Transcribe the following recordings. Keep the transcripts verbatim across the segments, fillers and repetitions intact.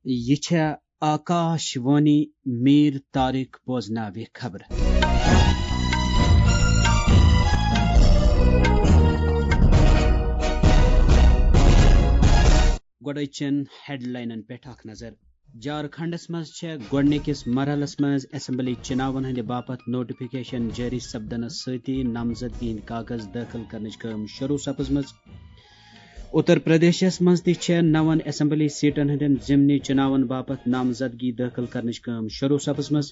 یہِ چھےٚ آکاش وانی۔ میر طارق بوزناوِ خبرٕ۔ گۄڈٕ أزچٮ۪ن ہیڈلاینن پٮ۪ٹھ اکھ نظر۔ جھارکھنڈس منٛز چھےٚ گۄڈٕنِکِس مرحلس منٛز اسمبلی چُناون ہٕنٛدِ باپتھ نوٹیفکیشن جٲری سپدنس سۭتی نامزدگی ہٕنٛدۍ کاغذ دٲخل کرنٕچ کٲم شروٗع سپٕزمٕژ۔ اتر پردیشس منٛز تہِ چھےٚ نون اسمبلی سیٹن ہٕنٛدٮ۪ن ضمنی چُناون باپتھ نامزدگی دٲخل کرنٕچ کٲم شروٗع سپٕزمٕژ۔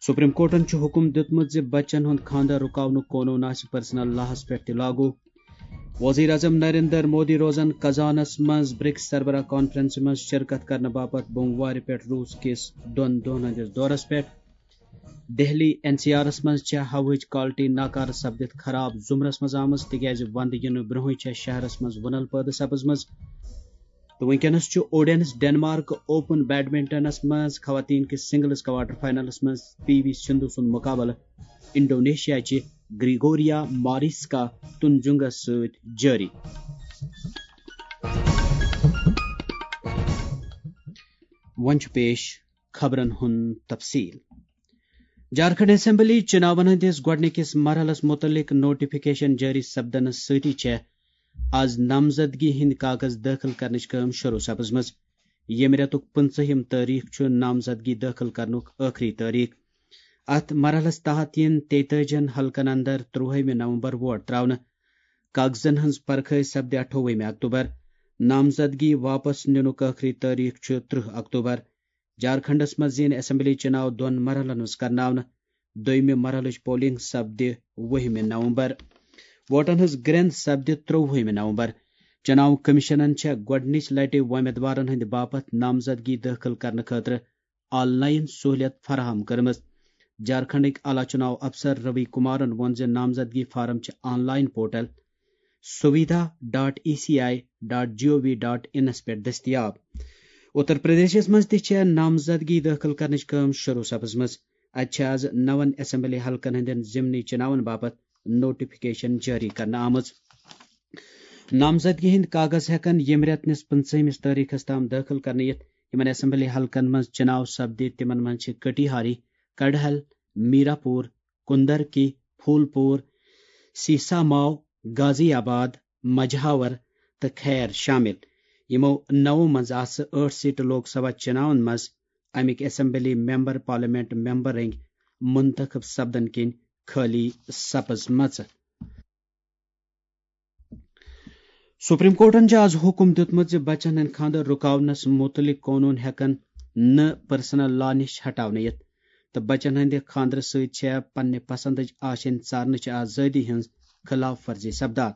سپریم کورٹن چھُ حکم دیُتمُت زِ بچن ہُنٛد خانٛدر رُکاونُک قونوٗن آسہِ پرسنل لاہَس پٮ۪ٹھ تہِ لاگو۔ وزیر اعظم نریندر مودی روزن قزانس منٛز برکس سربراہ کانفرنسہِ منٛز شرکت کرنہٕ باپتھ بوموارِ پٮ۪ٹھ روٗس کِس دۄن دۄہن ہٕنٛدِس دورس پٮ۪ٹھ۔ دہلی این سی آرس منٛز چھےٚ ہوہٕچ کوالٹی ناکارٕ سپدِتھ خراب زمرس منٛز آمٕژ، تِکیازِ ونٛدٕ یِنہٕ برونٛہٕے چھےٚ شہرس منٛز وُنل پٲدٕ سپٕزمٕژ۔ تہٕ وٕنکیٚنس چھُ اوڈینس ڈنمارک اوپن بیڈمنٹنس منٛز خواتین کِس سنگلز کواٹر فائنلس منٛز پی وی سندھو سُنٛد مقابلہٕ انڈونیشیا چہِ گریگوریا ماریسکا تنجنگس سۭتۍ جٲری۔ وۄنۍ چھُ پیش خبرن ہُنٛد تفصیل۔ جھارکھنڈ اسمبلی چُناون ہٕنٛدِس گۄڈٕنِکِس مرحلس مُتعلق نوٹیفکیشن جٲری سپدنس سۭتی چھےٚ آز نامزدگی ہٕنٛدۍ کاغذ دٲخل کرنٕچ کٲم شروٗع سپٕزمٕژ، ییٚمہِ رٮ۪تُک پٕنٛژٕہِم تٲریخ چھُ نامزدگی دٲخل کرنُک ٲخری تٲریخ۔ اتھ مرحلس تحت یِن تیتٲجِہن حلقن اندر ترٛوہمہِ نومبر ووٹ تراونہٕ۔ کاغذن ہٕنٛز پرکھٲے سپدِ اَٹھووُہمہِ اکتوبر۔ نامزدگی واپس نِنُک ٲخری تٲریخ چھُ ترٕہ اکتوبر۔ جھارکھنڈس منٛز یِن اسمبلی چُناو دۄن مرحلن منٛز کرناونہٕ، دوٚیمہِ مرحلٕچ پولنگ سپدِ وُہمہِ نومبر۔ ووٹن ہٕنٛز گرٛنٛد سپدِ ترٛووُہمہِ نومبر۔ چُناو کمیشنن چھےٚ گۄڈٕنِچ لٹہِ وۄمیدوارن ہٕنٛدِ باپتھ نامزدگی دٲخل کرنہٕ خٲطرٕ آن لائن سہولیت فراہم کٔرمٕژ۔ جھارکھنڈٕکۍ اعلیٰ چُناو افسر روی کمارن ووٚن زِ نامزدگی فارم چھِ online portal Suvidha dot E C I dot G O V dot انس پٮ۪ٹھ دٔستیاب۔ اتر پردیشس منٛز تہِ چھےٚ نامزدگی دٲخل کرنٕچ کٲم شروٗع سپٕزمٕژ۔ اتہِ چھِ آز نون اسمبلی حلقن ہٕنٛدٮ۪ن ضمنی چُناون باپتھ نوٹیفکیشن جٲری کرنہٕ آمٕژ۔ نامزدگی ہٕنٛدۍ کاغذ ہٮ۪کن ییٚمہِ رٮ۪تہٕ نِس پٕنٛژٕہمِس تٲریخس تام دٲخل کرنہٕ یِتھ۔ یِمن اسمبلی حلقن منٛز چُناو سپدِ، تِمن منٛز چھِ کٹیہاری، کڑہل، میراپور، کندرکی، پھولپور، سیساماو، غازی آباد، مجہاور تہٕ خیر شٲمِل۔ یِمو نَوو منٛز آسہٕ ٲٹھ سیٹہٕ لوک سبھا چُناون منٛز اَمِکۍ اسمبلی ممبر، پارلیمنٹ ممبر رٔنگۍ منتخب سپدن کِنۍ خٲلی سپٕزمژٕ۔ سپریم کورٹن چھُ آز حکم دیُتمُت زِ بچن ہٕنٛدۍ خانٛدر رُکاونس مُتعلق قونوٗن ہٮ۪کن نہٕ پرسنل لا نِش ہٹاونہٕ یِتھ، تہٕ بچن ہٕنٛدِ خانٛدرٕ سۭتۍ چھےٚ پننہِ پسندٕچ آشینۍ ژارنٕچ آزٲدی ہٕنٛز خلاف ورزی سپدان۔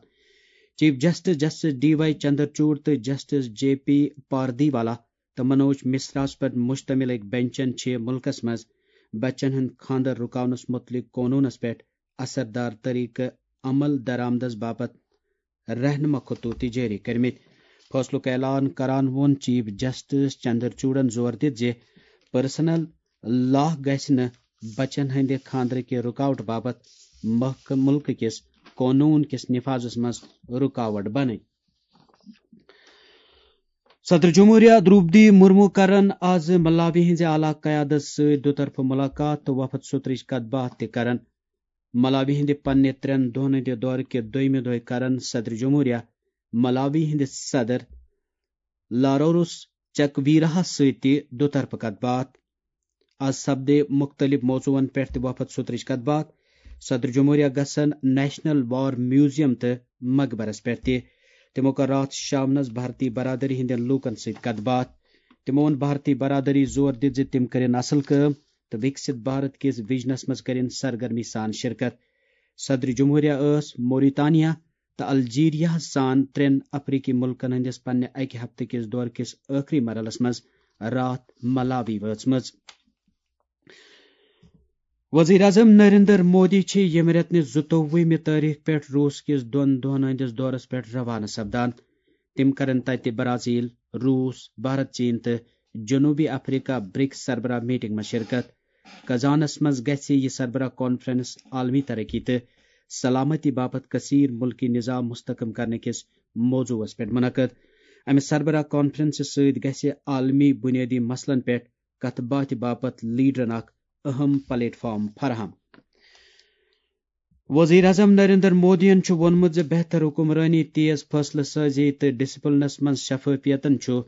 Chief justice justice D Y Chandrachud تہٕ جسٹس جے پی پاردیوالا تہٕ منوج مشراہَس پٮ۪ٹھ مشتمل أکۍ بنچن چھِ مُلکَس منٛز بچن ہُنٛد خانٛدر رُکاونَس مُتعلِق قونوٗنَس پٮ۪ٹھ اثردار طریقہٕ عمل درآمدَس باپتھ رہنما خطوط تہِ جٲری کٔرمٕتۍ۔ فٲصلُک اعلان کران ووٚن چیف جسٹس چندرچوڑَن زور دِتھ زِ پرسنل لا گژھِ نہٕ بچن ہٕنٛدِ خانٛدرٕ کہِ رُکاوٹ باپتھ مخ-، مُلکہٕ کِس قونوٗن کِس نفاذَس منٛز رُکاوٹ بنٕنۍ۔ صدر جمہوریہ دروپدی مرمو کرن آز ملاوی ہٕنٛزِ اعلیٰ قیادت سۭتۍ دُطرفہٕ ملاقات تہٕ وفد سترٕچ کتھ باتھ تہِ کرن۔ ملاوی ہٕنٛدِ پننہِ ترٛٮ۪ن دۄہن ہٕنٛدِ دورٕ کہِ دوٚیمہِ دۄہہِ کرن صدر جمہوریہ ملاوی ہٕنٛدِ صدر لاروروس چکویراہس سۭتۍ تہِ دُطرفہٕ کتھ باتھ۔ از سپدِ مُختٔلِف موضوعن پٮ۪ٹھ تہِ وفد سترٕچ کتھ باتھ۔ صدر جمہوریہ گژھن نیشنل وار میوزیم تہٕ مقبرس پٮ۪ٹھ تہِ۔ تِمو کٔر راتھ شامنس بھارتی برادری ہٕنٛدٮ۪ن لوٗکن سۭتۍ کتھ باتھ۔ تِمو ووٚن بھارتی برادری زور دِتھ زِ تِم کٔرِن اصل کٲم تہٕ وِکسِت بھارت کِس وِجنس منٛز کٔرِن سرگرمی سان شرکت۔ صدر جمہوریہ ٲس موریتانیا تہٕ الجیریاہَس سان ترٛٮ۪ن افریقی مُلکَن ہٕنٛدِس پننہِ اَکہِ ہفتہٕ کِس دورٕ کِس ٲخری مرحلَس منٛز راتھ ملاوی وٲژمٕژ۔ وزیر اعظم نریندر مودی چھِ ییٚمہِ رٮ۪تہٕ نِس زٕتووُہمہِ تٲریخ پٮ۪ٹھ روٗس کِس دۄن دۄہَن ہٕنٛدِس دورَس پٮ۪ٹھ روانہٕ سپدان۔ تِم کرن تَتہِ برازیل، روٗس، بھارت، چین تہٕ جنوبی افریقہ برکس سربراہ میٹنگ منٛز شرکت۔ کزانس منٛز گژھِ یہِ سربراہ کانفرنس عالمی ترقی تہٕ سلامتی باپتھ کثیر ملکی نظام مستحکم کرنہٕ کِس موضوعس پٮ۪ٹھ منعقد۔ امہِ سربراہ کانفرنسہِ سۭتۍ گژھِ عالمی بنیٲدی مسلن پٮ۪ٹھ کتھ باتھِ باپتھ لیڈرن اکھ اہم پلیٹ فارم فراہم۔ وزیر اعظم نریندر مودیَن چھُ ووٚنمُت زِ بہتر حکمرٲنی، تیز فٲصلہٕ سٲزی تہٕ ڈسپلنس منٛز شفافیتن چھُ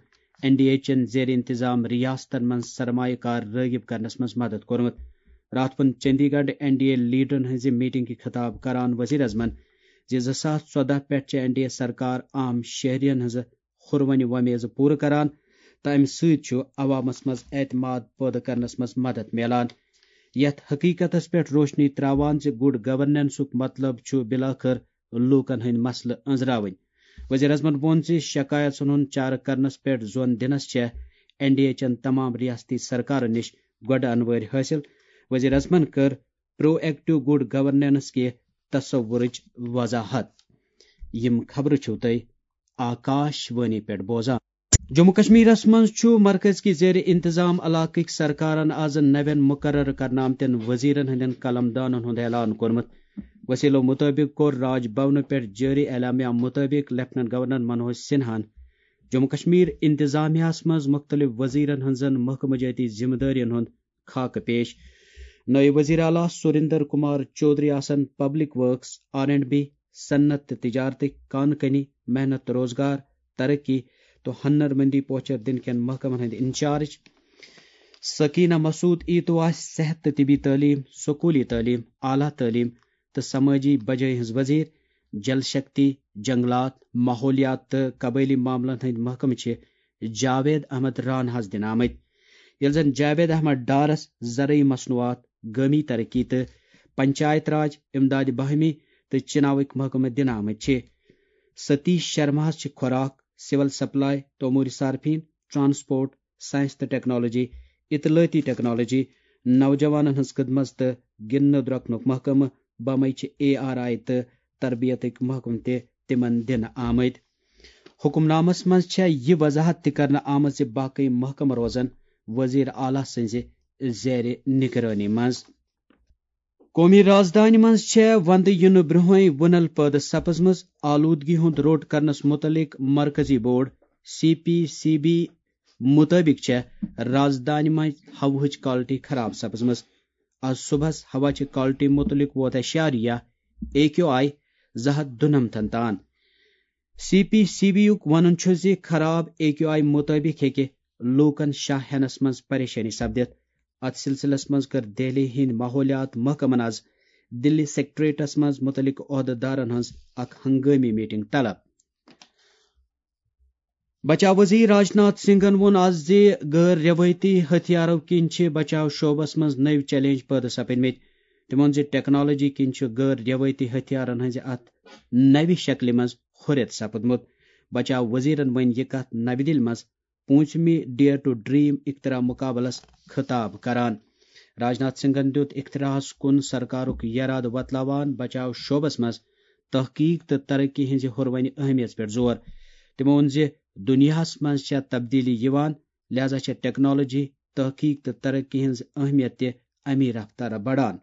این ڈی اے چٮ۪ن زیر انتظام ریاستن منٛز سرمایہ کار رٲغب کرنس منٛز مدد کوٚرمُت۔ راتھ ووٚن چندی گڑھ این ڈی اے لیڈرن ہٕنٛزِ میٹنگہِ خطاب کران وزیر اعظمن زِ زٕ ساس ژۄدہ پٮ۪ٹھ چھِ این ڈی اے سرکار عام شہرین ہٕنٛز ہُروَنہِ وۄمیزٕ پوٗرٕ کران تہٕ امہِ سۭتۍ چھُ عوامس منٛز اعتماد پٲدٕ کرنس منٛز مدد میلان۔ یتھ حقیقتس پٮ۪ٹھ روشنی تراوان زِ گڈ گورننسُک مطلب چھُ بالآخر لوٗکن ہٕنٛدۍ مسلہٕ أنٛزراوٕنۍ۔ وزیر اعظمن ووٚن زِ شکایژن ہُنٛد چارٕ کرنس پٮ۪ٹھ زون دِنس چھےٚ این ڈی اے چٮ۪ن تمام ریاستی سرکارن نِش گۄڈٕ انوٲرۍ حٲصِل۔ وزیر اعظمن کٔر پرو ایکٹو گڈ گورننس کہِ تصورٕچ وضاحت۔ یِم خبرٕ چھِو تُہۍ آکاش وانی پٮ۪ٹھ بوزان۔ جموں کشمیرس منٛز چھُ مرکز کہِ زیر انتظام علاقٕکۍ سرکارن آز نوٮ۪ن مقرر کرنہٕ آمتٮ۪ن وزیرن ہٕنٛدٮ۪ن قلم دانن ہُنٛد اعلان کوٚرمُت۔ وسیلو مُطٲبِق کوٚر راج بھونہٕ پٮ۪ٹھ جٲری اعلامیہ مُطٲبِق لیفٹیننٹ گورنر منوج سنہاہن جموں کشمیر انتظامیہس منٛز مُختٔلِف وزیرن ہٕنٛزن محکمہٕ جٲتی ذمہٕ دٲرین ہُنٛد خاکہٕ پیش۔ نٲیِب وزیر اعلیٰ سریندر کمار چودھری آسن public works, R and B, صنعت تہٕ تجارتٕکۍ، کان کنی، محنت روزگار، ترقی تہٕ ہنر مندی پوچھر دِنہٕ کٮ۪ن محکمن ہٕنٛدۍ انچارج۔ سکینہ مسعود ایتو آسہِ صحت تہٕ طبی تعلیٖم، سکوٗلی تعلیٖم، اعلیٰ تعلیٖم تہٕ سمٲجی بجٲے ہٕنٛز وزیر۔ جل شکتی، جنگلات، ماحولیات تہٕ قبٲئلی معاملن ہٕنٛدۍ محکمہٕ چھِ جاوید احمد راناہس دِنہٕ آمٕتۍ، ییٚلہِ زن جاوید احمد ڈارس زرعی مصنوعات، گٲمی ترقی تہٕ پنچایت راج، امداد باہمی تہٕ چناوٕکۍ محکمہٕ دِنہٕ آمٕتۍ چھِ۔ ستیش شرماہس چھِ خوراک، سول سپلائی تہٕ امور صارفین، ٹرانسپورٹ، سائنس تہٕ ٹیکنالوجی، اطلاعاتی ٹیکنالوجی، نوجوانن ہٕنٛز خدمت تہٕ گِنٛدنہٕ درۄکنُک محکمہٕ، بمے چھِ اے آر آئی تہٕ تربیتٕکۍ محکمہٕ تہِ تِمن دِنہٕ آمٕتۍ۔ حکم نامس منٛز چھےٚ یہِ وضاحت تہِ کرنہٕ آمٕژ زِ باقٕے محکمہٕ روزن وزیر اعلیٰ سٕنٛزِ زیر نگرٲنی منٛز۔ قومی رازدانہِ منٛز چھےٚ وندٕ یِنہٕ برٛونٛہٕے وُنل پٲدٕ سپٕزمٕژ۔ آلودگی ہُنٛد روٚٹ کرنس مُتعلق مرکزی board, C P C B, مُطٲبِق چھےٚ رازدانہِ منٛز ہوہٕچ quality خراب سپٕزمٕژ۔ آز صُبحس ہوا چہِ quality مُتعلق ووت اَسہِ شاریہ اے کیو آئی زٕ ہَتھ دُنَمتھن تام۔ سی پی سی بی یُک وَنُن چھُ زِ خراب اے کیو آئی مُطٲبِق ہیٚکہِ لوٗکَن شاہ ہٮ۪نَس منٛز پریشٲنی سپدِتھ۔ اَتھ سلسلس منٛز کٔر دہلی ہٕنٛدۍ ماحولیات محکمَن آز دِلی سیکرٹریٹس منٛز مُتعلِق عہدٕ دارَن ہٕنٛز اکھ ہنگٲمی میٹنگ طلب۔ بچاو وزیر راجناتھ سنگھن ووٚن آز زِ غٲر روایتی ہتھیارو کِنۍ چھِ بچاو شعبس منٛز نٔوۍ چیلنج پٲدٕ سپدمٕتۍ۔ تٔمۍ ووٚن زِ ٹیکنالوجی کِنۍ چھِ غٲر روایتی ہتھیارن ہٕنٛزِ اتھ نوِ شکلہِ منٛز ہُرٮ۪ر سپُدمُت۔ بچاو وزیرن ؤنۍ یہِ کتھ نوِ دِلہِ منٛز پوٗنٛژمہِ ڈیئر ٹو ڈریٖم اختراع مُقابلس خطاب کران۔ راجناتھ سنگھن دِیُت اختراعس کُن سرکارُک یرادٕ وۄتلاوان بچاو شعبس منٛز تحقیق تہٕ ترقی ہٕنٛزِ ہُروَنہِ اہمیت پٮ۪ٹھ زور۔ تٔمۍ ووٚن زِ دُنیاہَس منٛز چھےٚ تبدیٖلی یِوان، لہذا چھےٚ ٹیکنالوجی، تحقیق تہٕ ترقی ہٕنٛز اہمیت تہِ اَمی رفتارٕ بڑان۔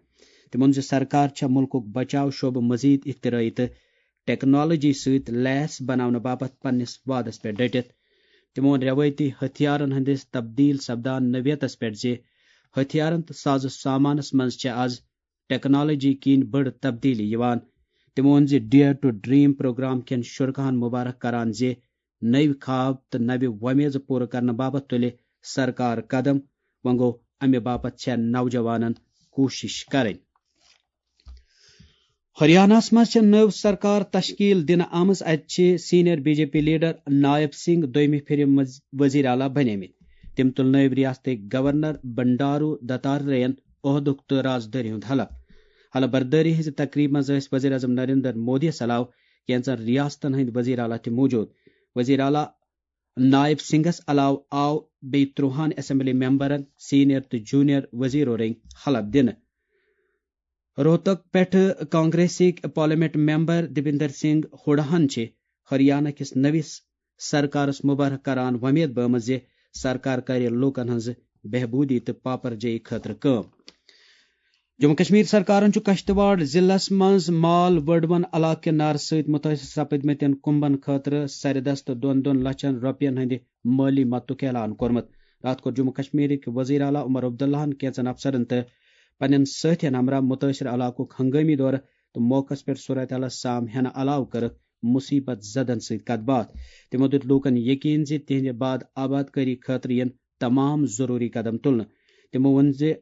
تٔمۍ ووٚن زِ سرکار چھےٚ مُلکُک بچاو شعبہٕ مزید اختراعی تہٕ ٹیکنالوجی سۭتۍ لیس بناونہٕ باپتھ پننِس وعدس پٮ۪ٹھ ڈٔٹِتھ۔ تٔمۍ ووٚن روایتی ہتھیارن ہٕنٛدِس تبدیل سپدان نوعیتس پٮ۪ٹھ زِ ہتھیارن تہٕ ساز و سامانس منٛز چھےٚ آز ٹیکنالوجی کِنۍ بٔڑ تبدیلی یِوان۔ تٔمۍ ووٚن زِ ڈیئر ٹو ڈریٖم پروگرام کٮ۪ن شرکاہن مبارک کران زِ نٔوۍ خواب تہٕ نوِ وۄمیزٕ پوٗرٕ کرنہٕ باپتھ تُلہِ سرکار قدم۔ وۄنۍ گوٚو، امہِ باپتھ چھےٚ نوجوانن کوٗشش کرٕنۍ۔ ہریاناہس منٛز چھےٚ نٔو سرکار تشکیل دِنہٕ آمٕژ۔ اتہِ چھِ senior B J P leader Nayab Singh دویمہِ پھرِ مز-، وزیر اعلیٰ بنیمٕتۍ۔ تٔمۍ تُل نٲیِب ریاستٕکۍ گورنر بنڈارو دتاتریہن عہدُک تہٕ رازدٲری ہُنٛد حلف۔ حلف بردٲری ہٕنٛزِ تقریبہِ منٛز ٲسۍ وزیر اعظم نریندر مودیَس علاوٕ کینٛژن ریاستن ہٕنٛدۍ وزیر اعلیٰ تہِ موجود۔ وزیر اعلیٰ نائب سنگھس علاوٕ آو بیٚیہِ ترٛۆہَن اسمبلی ممبرن، سینئر تہٕ جونیئر وزیرو رٔنگۍ حلف دِنہٕ۔ روہتک پٮ۪ٹھٕ کانگریسٕکۍ پارلیمنٹ ممبر دیبندر سنگھ ہڈاہن چھِ ہریانہ کِس نٔوِس سرکارس مبارک کران وۄمید بٲومٕژ زِ سرکار کرِ لوٗکن ہٕنٛز بہبوٗدی تہٕ پاپرجٲیی خٲطرٕ کٲم۔ جموں کشمیر سرکارن چھُ کشتواڑ ضلعس منٛز مال وڈوَن علاقہٕ کہِ نارٕ سۭتۍ مُتٲثر سپدمٕتٮ۪ن کُمبن خٲطرٕ سرِ دستہٕ دۄن دۄن لچھن رۄپین ہٕنٛدِ مٲلی مدتُک اعلان کوٚرمُت۔ راتھ کوٚر جموں کشمیرٕکۍ وزیر اعلیٰ عمر عبداللہن کینٛژن افسرن تہٕ پننٮ۪ن سٲتھین ہمراہ مُتٲثر علاقُک ہنگٲمی دورٕ تہٕ موقعس پٮ۪ٹھ صورتحالس سام ہینہٕ علاوٕ کٔرٕکھ مُصیبت زدن سۭتۍ کتھ باتھ۔ تِمو دیُت لوٗکن یقین زِ تِہنٛدِ بعد آباد کٲری خٲطرٕ یِن تمام ضروٗری قدم تُلنہٕ۔ تِمو ووٚن زِ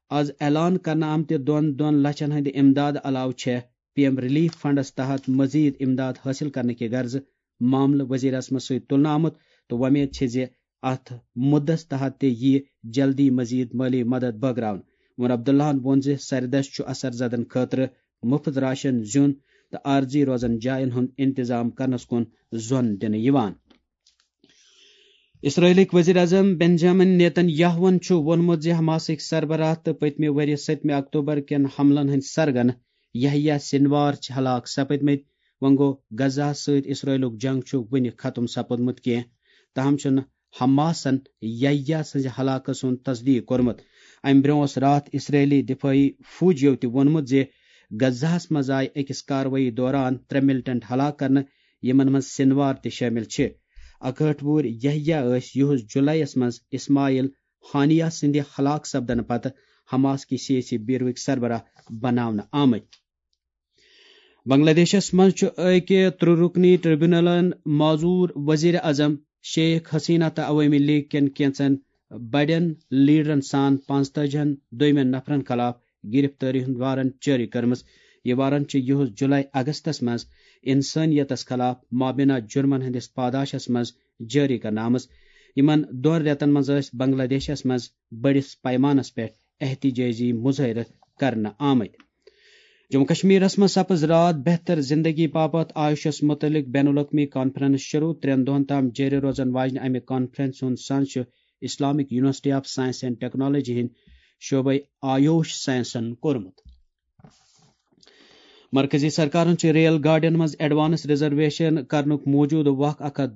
از اعلان کرنہٕ آمتہِ دۄن دۄن لچھن ہٕنٛدِ امداد علاوٕ چھےٚ پی ایم ریلیف فنڈس تحت مزید امداد حٲصِل کرنہٕ کہِ غرضہٕ معاملہٕ وزیر اعظمس سۭتۍ تُلنہٕ آمُت تہٕ وۄمید چھِ زِ اتھ مُدس تحت تہِ یِیہِ جلدی مزید مٲلی مدد بٲگراونہٕ۔ عمر عبداللہن ووٚن زِ سرِ دستہٕ چھُ اثر زدن خٲطرٕ مُفت راشن، زیُن تہٕ عارضی روزن جاین ہُنٛد انتظام کرنس کُن زۄن دِنہٕ یِوان۔ اسرائیلٕکۍ وزیر اعظم بنجامن نیتن یاہوَن چھُ ووٚنمُت زِ حماسٕکۍ سربراہ تہٕ پٔتمہِ ؤریہِ سٔتمہِ اکتوبر کٮ۪ن حملن ہٕنٛدۍ سرگن یحییٰ سنوار چھِ ہلاک سپدمٕتۍ۔ وۄنۍ گوٚو، غزہَس سۭتۍ اسرائیلُک جنگ چھُ وُنہِ ختم سپُدمُت کینٛہہ، تاہم چھُنہٕ حماسن یحییٰ سٕنٛزِ ہلاکت سُنٛد تصدیق کوٚرمُت۔ امہِ برٛونٛہہ اوس راتھ اسرائیلی دفٲعی فوجیو تہِ ووٚنمُت زِ غزہَس منٛز آیہِ أکِس کاروٲیی دوران ترٛےٚ ملٹنٹ ہلاک کرنہٕ، یِمن منٛز سنوار تہِ شٲمِل چھِ۔ اکہٲٹھ وُہُر یحییٰ ٲسۍ یِہُس جُلایَس منٛز اسماعیل ہانیہ سٕنٛدِ ہلاک سپدنہٕ پتہٕ حماس کہِ سیٲسی بیوروٕکۍ سربراہ بناونہٕ آمٕتۍ۔ بنگلہ دیشس منٛز چھُ أکہِ ترٛےٚ رُکنی ٹریبونلن معزور وزیر اعظم شیخ حسینہ تہٕ عوٲمی لیگ کٮ۪ن کینٛژن بڑٮ۪ن لیڈرن سان پانٛژتٲجی ہن دوٚیمٮ۪ن نفرن خلاف گرفتٲری ہُنٛد وارنٹ جٲری کٔرمٕژ۔ یہِ وارنٹ چھُ یِہُس جُلای اگستس منٛز انسٲنیتس خلاف مابینہ جُرمن ہٕنٛدِس پاداشس منٛز جٲری کرنہٕ آمٕژ۔ یِمن دۄن رٮ۪تن منٛز ٲسۍ بنگلہ دیشس منٛز بٔڑِس پیمانس پٮ۪ٹھ احتجاجی مظٲہرٕ کرنہٕ آمٕتۍ۔ جموں کشمیرس منٛز سپٕز راتھ بہتر زندگی باپتھ آیوشس متعلق بین الاقوٲمی کانفرنس شروع۔ ترٛٮ۪ن دۄہن تام جٲری روزن واجنہِ امہِ کانفرنس ہُنٛد سنز چھُ Islamic university of science and technology ہٕنٛدۍ شعبے آیوش سائنسن کوٚرمُت۔ مرکزی سرکارن چھِ ریل گاڑین منٛز ایڈوانس ریزرویشن کرنُک موجودٕ وق اکھ ہتھ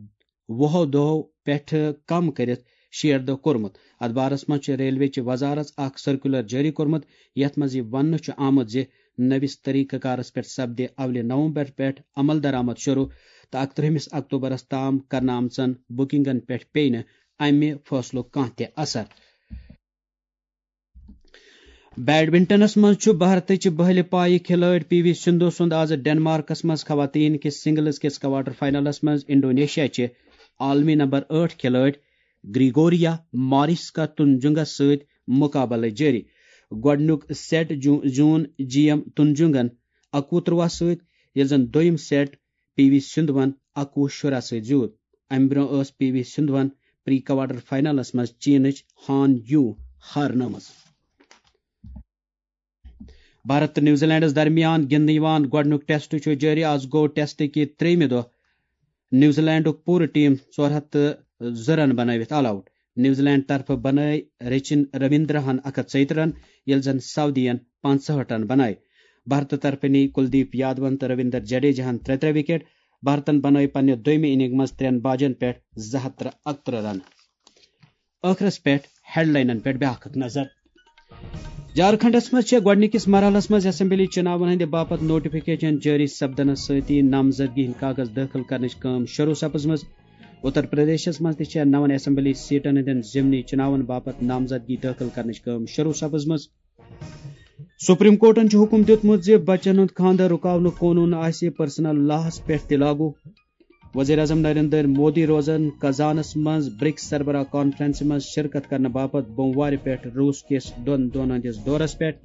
وُہو دۄہو پٮ۪ٹھٕ کم کٔرِتھ شیٹھ دۄہ کوٚرمُت۔ اتھ بارس منٛز چھِ ریلوے چہِ وزارت اکھ سرکولر جٲری کوٚرمُت، یتھ منٛز یہِ وننہٕ چھُ آمُت زِ نٔوِس طریقہٕ کارس پٮ۪ٹھ سپدِ اولہِ نومبر پٮ۪ٹھ عمل درآمد شروع تہٕ اکترٕہمِس اکتوبرس تام کرنہٕ آمژن بُکنگن پٮ۪ٹھ پیٚیہِ نہٕ امہِ فٲصلُک کانٛہہ تہِ اثر۔ بیڈمنٹنس منٛز چھُ بھارتٕچ بٔہلہِ پایہِ کھلٲڑۍ پی وی سندھو سُنٛد آز ڈنمارکس منٛز خواتین کِس سنگلز کِس کوارٹر فائنلس منٛز انڈونیشیا چہِ عالمی نمبر ٲٹھ کھلٲڑۍ گریگوریا ماریسکا تنجنگس سۭتۍ مقابلہٕ جٲری۔ گۄڈٕنیُک سیٹ جو-، زیوٗن جی ایم تنجنگن اکوُہ ترٛواہ سۭتۍ، ییٚلہِ زن دوٚیُم سیٹ پی وی سندھون اکوُہ شُراہ سۭتۍ زیوٗد۔ امہِ برٛونٛہہ ٲس پی وی سندھون پری کوارٹر فائنلس منٛز چینٕچ ہان یو ہارنٲومٕژ۔ بھارت تہٕ نیوزی لینڈس درمیان گِنٛدنہٕ یِوان گۄڈٕنیُک ٹیسٹ چھُ جٲری۔ آز گوٚو ٹیسٹ کہِ ترٛیٚیمہِ دۄہ نیوزی لینڈُک پوٗرٕ ٹیم ژور ہتھ تہٕ زٕ رن بنٲوِتھ آل آوٹ۔ نیوزی لینڈ طرفہٕ بنٲے رچن رویندرہن اکھ ہتھ ژۄیہِ ترٕٛہ رن، ییٚلہِ زن سعودین پانٛژہٲٹھ رن بنٲے۔ بھارتہٕ طرفہٕ نی کلدیپ یادون تہٕ رویندر جڈیجاہن ترٛےٚ ترٛےٚ وکٹ۔ بھارتن بنٲے پننہِ دوٚیمہِ اننگ منٛز ترٛٮ۪ن باجن پٮ۪ٹھ زٕ ہتھ تہٕ اکترٕٛہ رن۔ ٲخرس پٮ۪ٹھ ہیڈلاینن پٮ۪ٹھ بیاکھ اکھ نظر۔ جھارکھنڈس منٛز چھےٚ گۄڈٕنِکِس مرحلس منٛز اسمبلی چُناون ہٕنٛدِ باپتھ نوٹیفکیشن جٲری سپدنس سۭتی نامزدگی ہٕنٛدۍ کاغذ دٲخل کرنٕچ کٲم شروع سپٕزمٕژ۔ اتر پردیشس منٛز تہِ چھےٚ نون اسمبلی سیٹن ہٕنٛدٮ۪ن ضمنی چُناون باپتھ نامزدگی دٲخل کرنٕچ کٲم شروع سپٕزمٕژ۔ سپریم کورٹن چھُ حکم دیُتمُت زِ بچن ہُنٛد خانٛدر رُکاونُک قونوٗن آسہِ پرسنل لاہس پٮ۪ٹھ تہِ لاگو۔ وزیر اعظم نریندر مودی روزن قزانس منٛز برکس سربراہ کانفرنسہِ منٛز شرکت کرنہٕ باپتھ بوموارِ پٮ۪ٹھ روس کِس دۄن دۄہن ہٕنٛدِس دورس پٮ۪ٹھ۔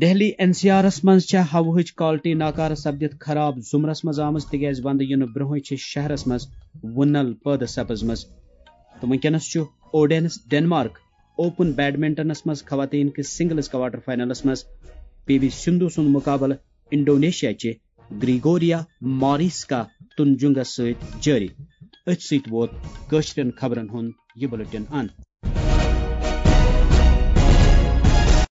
دہلی این سی آرس منٛز چھےٚ ہوہٕچ کوالٹی ناکارٕ سپدِتھ خراب زمرس منٛز آمٕژ، تِکیازِ ونٛدٕ یِنہٕ برونٛہٕے چھِ شہرس منٛز وُنل پٲدٕ سپٕزمٕژ۔ تہٕ وٕنکیٚنس چھُ اوڈینس ڈنمارک اوپن بیڈمنٹنس منٛز خواتین کِس سنگلز کوارٹر فائنلس منٛز پی وی سندھو سُنٛد مقابلہٕ انڈونیشیا چہِ گریگوریا ماریسکا تنجنگس سۭتۍ جٲری۔ أتھۍ سۭتۍ ووت کٲشرٮ۪ن خبرن ہُنٛد یہِ بُلٹن اند۔